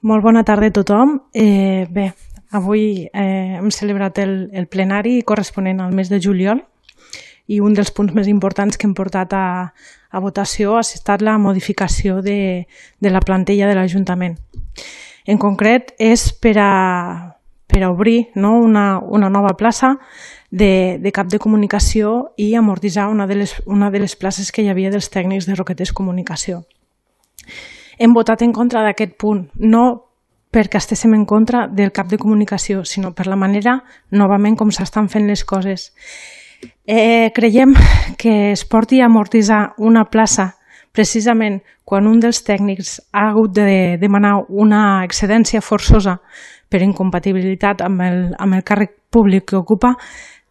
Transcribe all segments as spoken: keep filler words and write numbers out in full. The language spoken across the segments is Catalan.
Molt bona tarda a tothom. Eh, bé, avui eh, hem celebrat el, el plenari corresponent al mes de juliol i un dels punts més importants que hem portat a, a votació ha estat la modificació de, de la plantilla de l'Ajuntament. En concret, és per a, per a obrir no, una, una nova plaça de, de cap de comunicació i amortitzar una de, les, una de les places que hi havia dels tècnics de Roquetes Comunicació. Hem votat en contra d'aquest punt, no perquè estéssim en contra del cap de comunicació, sinó per la manera, novament, com s'estan fent les coses. Eh, creiem que es porti a amortitzar una plaça precisament quan un dels tècnics ha hagut de demanar una excedència forçosa per incompatibilitat amb el, amb el càrrec públic que ocupa,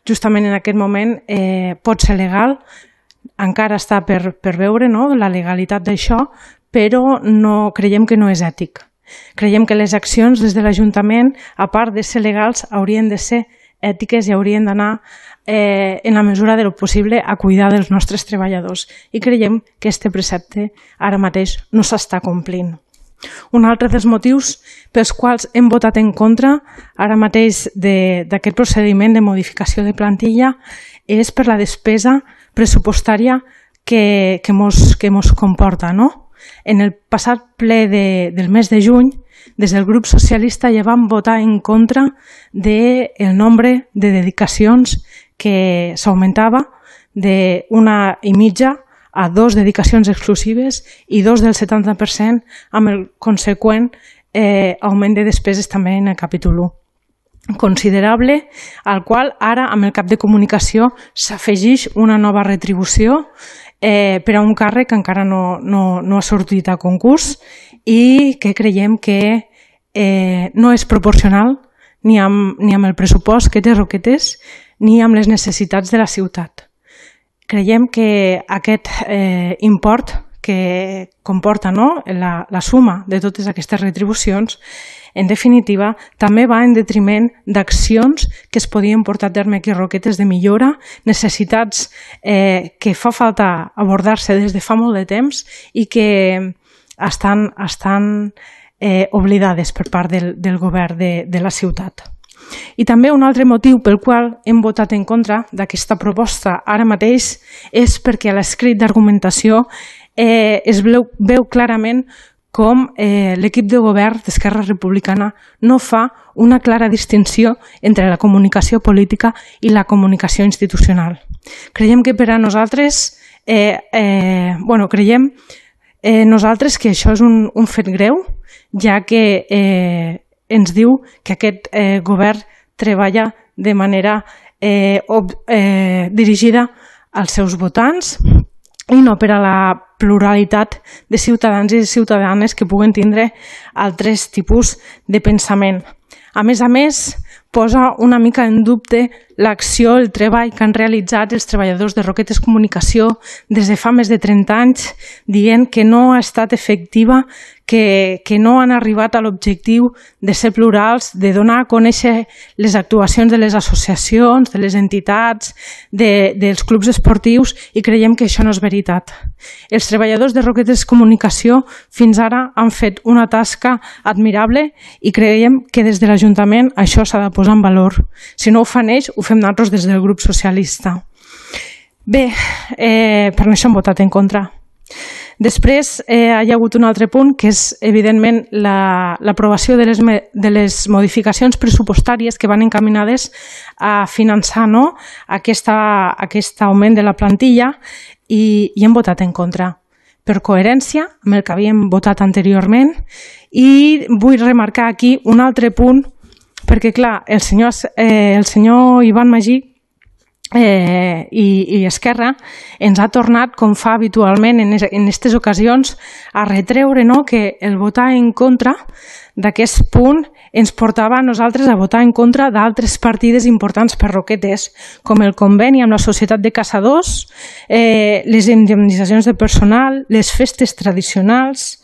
justament en aquest moment eh, pot ser legal, encara està per, per veure no, la legalitat d'això, però no, creiem que no és ètic. Creiem que les accions des de l'Ajuntament, a part de ser legals, haurien de ser ètiques i haurien d'anar eh, en la mesura del possible a cuidar dels nostres treballadors. I creiem que aquest precepte ara mateix no s'està complint. Un altre dels motius pels quals hem votat en contra ara mateix d'aquest procediment de modificació de plantilla és per la despesa pressupostària que, que, mos, que mos comporta, no? En el passat ple de, del mes de juny, des del grup socialista ja vam votar en contra del nombre de dedicacions que s'augmentava d'una i mitja a dos dedicacions exclusives i dos del setanta per cent amb el conseqüent eh, augment de despeses també en el capítol u. Considerable, al qual ara amb el cap de comunicació s'afegeix una nova retribució eh, per a un càrrec que encara no, no, no ha sortit a concurs i que creiem que eh, no és proporcional ni amb, ni amb el pressupost que té Roquetes ni amb les necessitats de la ciutat. Creiem que aquest eh, import que comporta no, la, la suma de totes aquestes retribucions, en definitiva, també va en detriment d'accions que es podien portar a terme aquí a Roquetes de millora, necessitats eh, que fa falta abordar-se des de fa molt de temps i que estan, estan eh, oblidades per part del, del govern de, de la ciutat. I també un altre motiu pel qual hem votat en contra d'aquesta proposta ara mateix és perquè a l'escrit d'argumentació eh, es veu, veu clarament com eh, l'equip de govern d'Esquerra Republicana no fa una clara distinció entre la comunicació política i la comunicació institucional. Creiem que per a nosaltres, eh, eh, bueno, creiem eh, nosaltres que això és un, un fet greu, ja que eh, ens diu que aquest eh, govern treballa de manera eh, ob, eh, dirigida als seus votants i no per a la pluralitat de ciutadans i ciutadanes que puguen tindre altres tipus de pensament. A més a més, posa una mica en dubte l'acció, el treball que han realitzat els treballadors de Roquetes Comunicació des de fa més de trenta anys, dient que no ha estat efectiva, que, que no han arribat a l'objectiu de ser plurals, de donar a conèixer les actuacions de les associacions, de les entitats, de, dels clubs esportius, i creiem que això no és veritat. Els treballadors de Roquetes Comunicació fins ara han fet una tasca admirable i creiem que des de l'Ajuntament això s'ha de posar en valor. Si no ho fan ells, ho fem nosaltres des del grup socialista. Bé, eh, per això hem votat en contra. Després eh, hi ha hagut un altre punt que és evidentment l'aprovació la, de, les, de les modificacions pressupostàries que van encaminades a finançar no, aquesta, aquest augment de la plantilla i, i hem votat en contra. Per coherència amb el que havíem votat anteriorment i vull remarcar aquí un altre punt perquè clar, el senyor, eh, el senyor Ivan Magí Eh, i, i Esquerra ens ha tornat, com fa habitualment en aquestes ocasions, a retreure no, que el votar en contra d'aquest punt ens portava a nosaltres a votar en contra d'altres partides importants per Roquetes, com el conveni amb la Societat de Caçadors, eh, les indemnitzacions de personal, les festes tradicionals,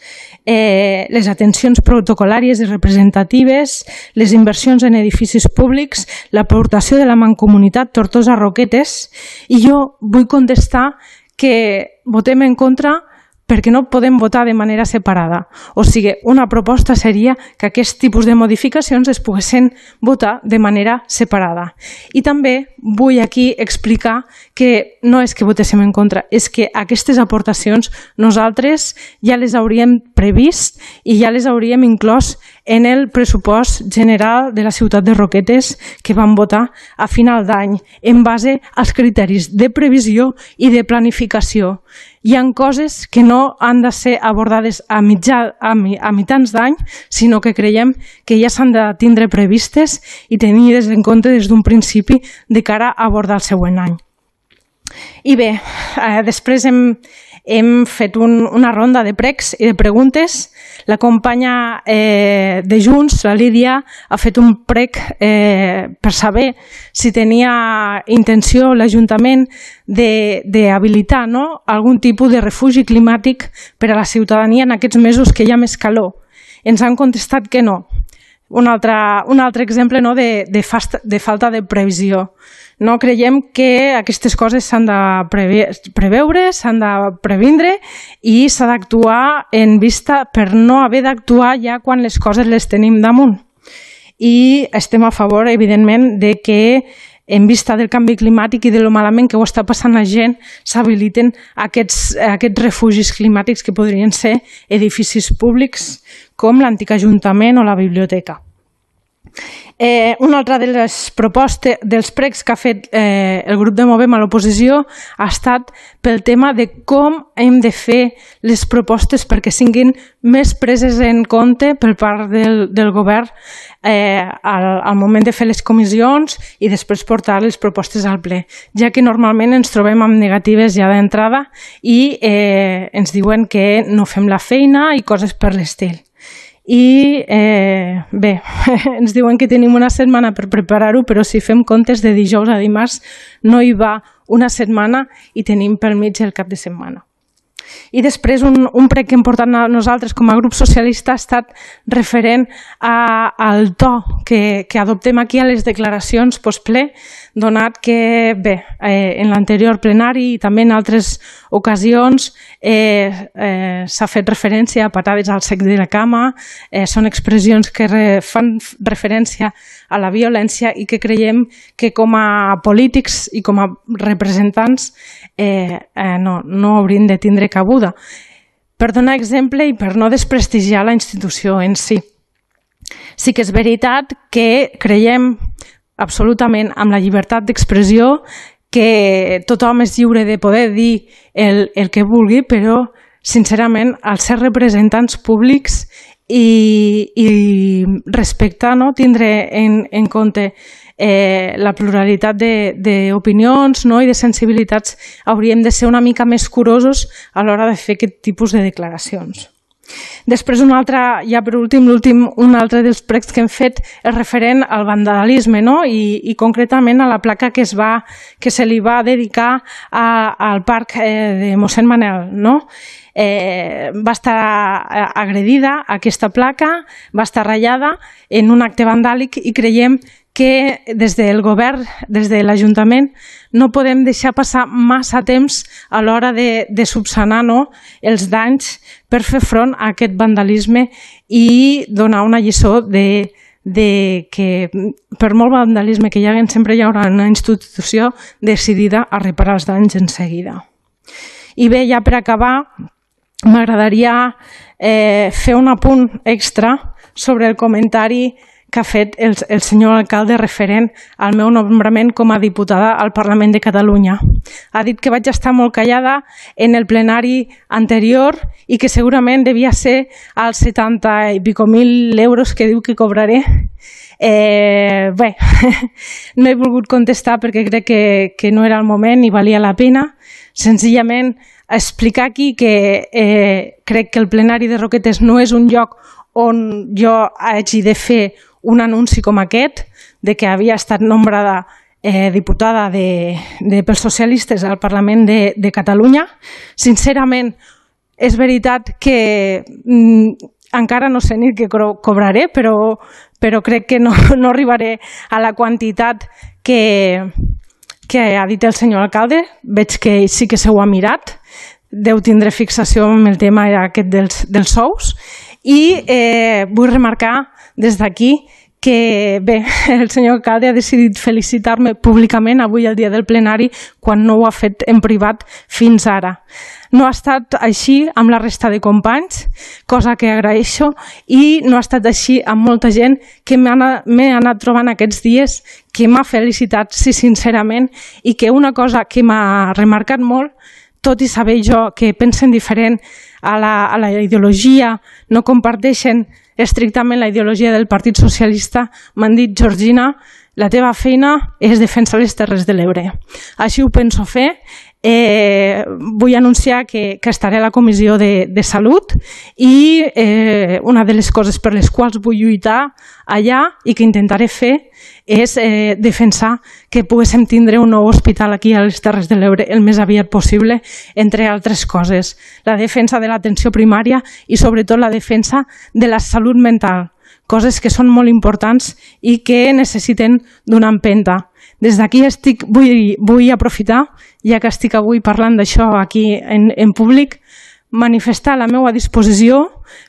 eh, les atencions protocolàries i representatives, les inversions en edificis públics, l'aportació de la Mancomunitat Tortosa Roquetes, i jo vull contestar que votem en contra perquè no podem votar de manera separada. O sigui, una proposta seria que aquest tipus de modificacions es poguessin votar de manera separada. I també vull aquí explicar que no és que votéssim en contra, és que aquestes aportacions nosaltres ja les hauríem previst i ja les hauríem inclòs en el pressupost general de la ciutat de Roquetes que vam votar a final d'any en base als criteris de previsió i de planificació. Hi ha coses que no han de ser abordades a, mitjà, a, a mitjans d'any, sinó que creiem que ja s'han de tindre previstes i tenir-les en compte des d'un principi de cara a abordar el següent any. I bé, eh, després hem, hem fet un, una ronda de pregs i de preguntes. La companya eh, de Junts, la Lídia, ha fet un prec eh, per saber si tenia intenció l'Ajuntament d'habilitar no, algun tipus de refugi climàtic per a la ciutadania en aquests mesos que hi ha més calor. Ens han contestat que no. Un altre, un altre exemple no, de, de, fasta, de falta de previsió. No creiem que aquestes coses s'han de preve preveure, s'han de previndre i s'ha d'actuar en vista per no haver d'actuar ja quan les coses les tenim damunt. I estem a favor, evidentment, de que en vista del canvi climàtic i de lo malament que ho està passant la gent, s'habiliten aquests, aquests refugis climàtics que podrien ser edificis públics com l'antic Ajuntament o la biblioteca. Eh, una altra de les propostes dels pregs que ha fet eh, el grup de Movem a l'oposició ha estat pel tema de com hem de fer les propostes perquè siguin més preses en compte per part del, del govern eh, al, al moment de fer les comissions i després portar les propostes al ple, ja que normalment ens trobem amb negatives ja d'entrada i eh, ens diuen que no fem la feina i coses per l'estil. I eh, bé, ens diuen que tenim una setmana per preparar-ho, però si fem comptes de dijous a dimarts no hi va una setmana i tenim pel mig el cap de setmana. I després un, un prec que hem portat nosaltres com a grup socialista ha estat referent a, al to que, que adoptem aquí a les declaracions postple, donat que bé, eh, en l'anterior plenari i també en altres ocasions eh, eh, s'ha fet referència a patades al sec de la cama, eh, són expressions que re, fan referència a la violència i que creiem que com a polítics i com a representants eh, eh, no, no haurien de tindre cabuda. Per donar exemple i per no desprestigiar la institució en si. Sí que és veritat que creiem absolutament amb la llibertat d'expressió que tothom és lliure de poder dir el, el que vulgui, però sincerament als ser representants públics i, i respectar, no? Tindre en, en compte eh, la pluralitat d'opinions no? I de sensibilitats, hauríem de ser una mica més curosos a l'hora de fer aquest tipus de declaracions. Després, un altre, ja per últim, l'últim, un altre dels pregs que hem fet és referent al vandalisme, no? I, i concretament a la placa que, es va, que se li va dedicar a, al parc eh, de mossèn Manel, no? Eh, va estar agredida aquesta placa, va estar ratllada en un acte vandàlic i creiem que des del govern, des de l'Ajuntament, no podem deixar passar massa temps a l'hora de, de subsanar no, els danys per fer front a aquest vandalisme i donar una lliçó de, de que per molt vandalisme que hi hagi sempre hi haurà una institució decidida a reparar els danys en seguida. I bé, ja per acabar, m'agradaria eh, fer un apunt extra sobre el comentari que ha fet el, el senyor alcalde referent al meu nombrament com a diputada al Parlament de Catalunya. Ha dit que vaig estar molt callada en el plenari anterior i que segurament devia ser als setanta i pico mil euros que diu que cobraré. Eh, bé, no he volgut contestar perquè crec que, que no era el moment i valia la pena. Senzillament explicar aquí que eh, crec que el plenari de Roquetes no és un lloc on jo hagi de fer un anunci com aquest, de que havia estat nombrada eh, diputada de, de, pels socialistes al Parlament de, de Catalunya. Sincerament, és veritat que mm, encara no sé ni què cobraré, però, però crec que no, no arribaré a la quantitat que, que ha dit el senyor alcalde. Veig que sí que se ho ha mirat. deu tindre fixació amb el tema aquest dels, dels sous i eh, vull remarcar des d'aquí que bé, el senyor alcalde ha decidit felicitar-me públicament avui el dia del plenari quan no ho ha fet en privat fins ara. No ha estat així amb la resta de companys, cosa que agraeixo, i no ha estat així amb molta gent que m'he anat trobant aquests dies, que m'ha felicitat, sí, sincerament, i que una cosa que m'ha remarcat molt, tot i saber jo que pensen diferent a la, a la ideologia, no comparteixen estrictament la ideologia del Partit Socialista, m'han dit, Georgina, la teva feina és defensar les Terres de l'Ebre. Així ho penso fer. Eh, vull anunciar que, que estaré a la Comissió de, de Salut i eh, una de les coses per les quals vull lluitar allà i que intentaré fer és eh, defensar que poguéssim tindre un nou hospital aquí a les Terres de l'Ebre el més aviat possible, entre altres coses. La defensa de l'atenció primària i sobretot la defensa de la salut mental, coses que són molt importants i que necessiten d'una empenta. Des d'aquí estic, vull, vull aprofitar, ja que estic avui parlant d'això aquí en, en públic, manifestar la meva disposició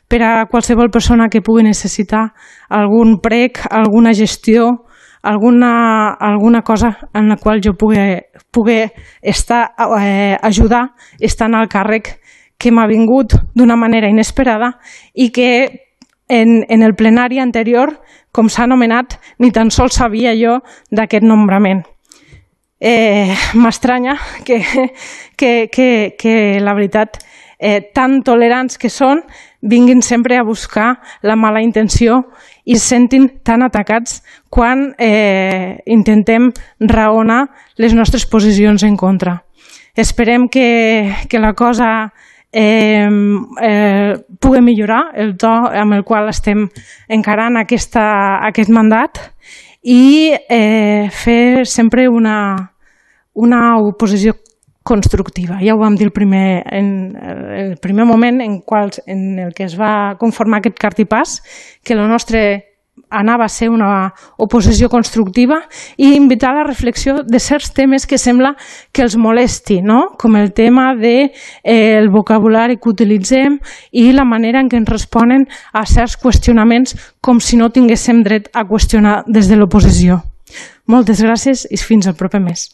per a qualsevol persona que pugui necessitar algun prec, alguna gestió, alguna, alguna cosa en la qual jo pugui, pugui estar, eh, ajudar estant al càrrec que m'ha vingut d'una manera inesperada i que en, en el plenari anterior, com s'ha anomenat, ni tan sols sabia jo d'aquest nombrament. Eh, M'estranya que, que, que, que la veritat, eh, tan tolerants que són, vinguin sempre a buscar la mala intenció i se sentin tan atacats quan eh, intentem raonar les nostres posicions en contra. Esperem que, que la cosa Eh, eh, pugui millorar el to amb el qual estem encarant aquesta, aquest mandat i eh, fer sempre una, una oposició constructiva. Ja ho vam dir el primer, en el primer moment en, qual, en el que es va conformar aquest cartipàs, que el nostre anava a ser una oposició constructiva i invitar a la reflexió de certs temes que sembla que els molesti, no? Com el tema del de, eh, vocabulari que utilitzem i la manera en què ens responen a certs qüestionaments com si no tinguéssim dret a qüestionar des de l'oposició. Moltes gràcies i fins al proper mes.